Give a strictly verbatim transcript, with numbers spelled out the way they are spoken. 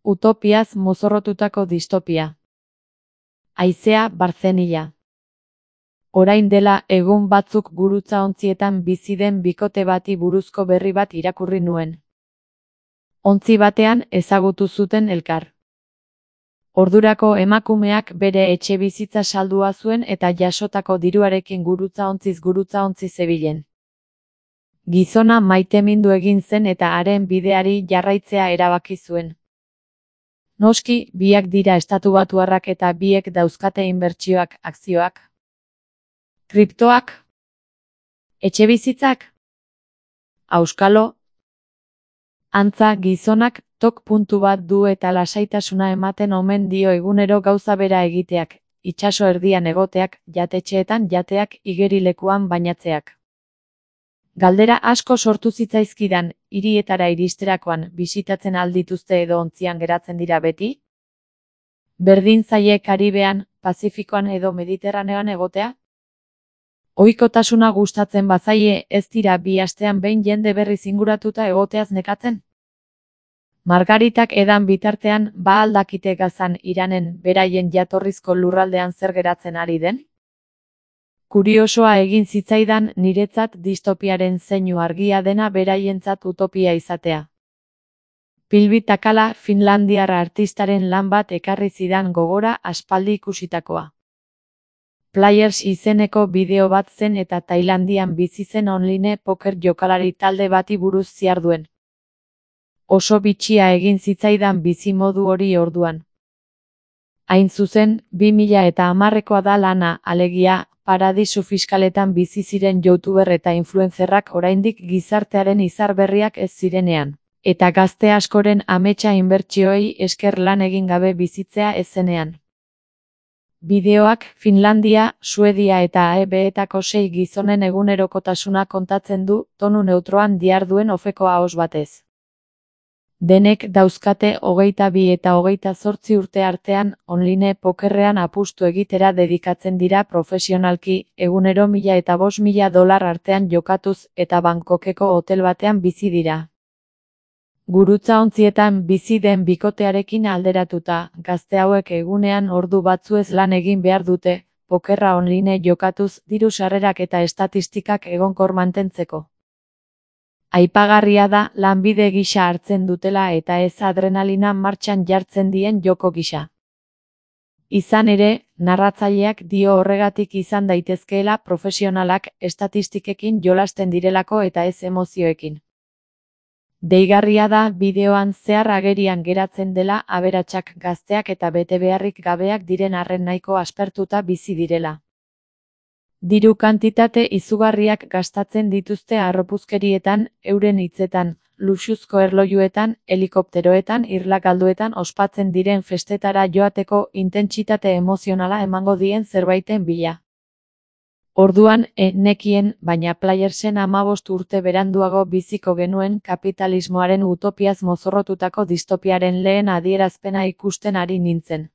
Utopiaz mozorrotutako distopia. Haizea Barzenilla. Orain dela egun batzuk gurutzaontzietan bizi den bikote bati buruzko berri bat irakurri nuen. Ontzi batean ezagutu zuten elkar. Ordurako emakumeak bere etxebizitza saldua zuen eta jasotako diruarekin gurutzaontziz gurutzaontzi zebilen. Gizona maitemindu egin zen eta haren bideari jarraitzea erabaki zuen. Noski, biak dira estatubatuarrak eta biek dauzkate inbertsioak, akzioak. Kriptoak? Etxebizitzak? Auskalo? Antza, gizonak tok puntu bat du eta lasaitasuna ematen omen dio egunero gauza bera egiteak, itsaso erdian egoteak, jatetxeetan jateak, igerilekuan bainatzeak. Galdera asko sortu zitzaizkidan, hirietara iristerakoan bisitatzen aldituzte edo ontzian geratzen dira beti? Berdin zaie Karibean, Pazifikoan edo Mediterraneoan egotea? Ohikotasuna gustatzen bazaie ez dira bi astean behin jende berriz inguratuta egoteaz nekatzen? Margaritak edan bitartean ba al dakite Gazan Iranen beraien jatorrizko lurraldean zer geratzen ari den? Kuriosoa egin zitzaidan niretzat distopiaren zeinu argia dena beraientzat utopia izatea. Pilvi Takala finlandiar artistaren lan bat ekarri zidan gogora aspaldi ikusitakoa. Players izeneko bideo bat zen eta Tailandian bizi zen online poker jokalari talde bati buruz ziarduen. Oso bitxia egin zitzaidan bizi modu hori orduan. Hain zuzen, bi mila eta hamarrekoa da lana, alegia, paradisu fiskaletan bizi ziren youtuber eta influencerrak oraindik gizartearen izar berriak ez zirenean, eta gazte askoren ametsa inbertsioei esker lan egin gabe bizitzea ez zenean. Bideoak Finlandia, Suedia eta A E B-etako sei gizonen egunerokotasuna kontatzen du, tonu neutroan diharduen ofeko ahoz batez. Denek dauzkate hogeita bi eta hogeita zortzi urte artean online pokerrean apustu egitera dedikatzen dira profesionalki, egunero mila eta bost mila dolar artean jokatuz eta Bangkokeko hotel batean bizi dira. Gurutzaontzietan bizi den bikotearekin alderatuta, gazte hauek egunean ordu batzuez lan egin behar dute, pokerra online jokatuz, diru sarrerak eta estatistikak egonkor mantentzeko. Aipagarria da lanbide gisa hartzen dutela eta ez adrenalina martxan jartzen dien joko gisa. Izan ere, narratzaileak dio horregatik izan daitezkeela profesionalak estatistikekin jolasten direlako eta ez emozioekin. Deigarria da bideoan zehar agerian geratzen dela aberatsak gazteak eta bete beharrik gabeak diren arren nahiko aspertuta bizi direla. Diru kantitate izugarriak gastatzen dituzte harropuzkerietan, euren hitzetan, luxuzko erlojuetan, helikopteroetan, irlagalduetan ospatzen diren festetara joateko intentsitate emozionala emango dien zerbaiten bila. Orduan, e nekien, baina Playersen hamabost urte beranduago biziko genuen kapitalismoaren utopiaz mozorrotutako distopiaren lehen adierazpena ikusten ari nintzen.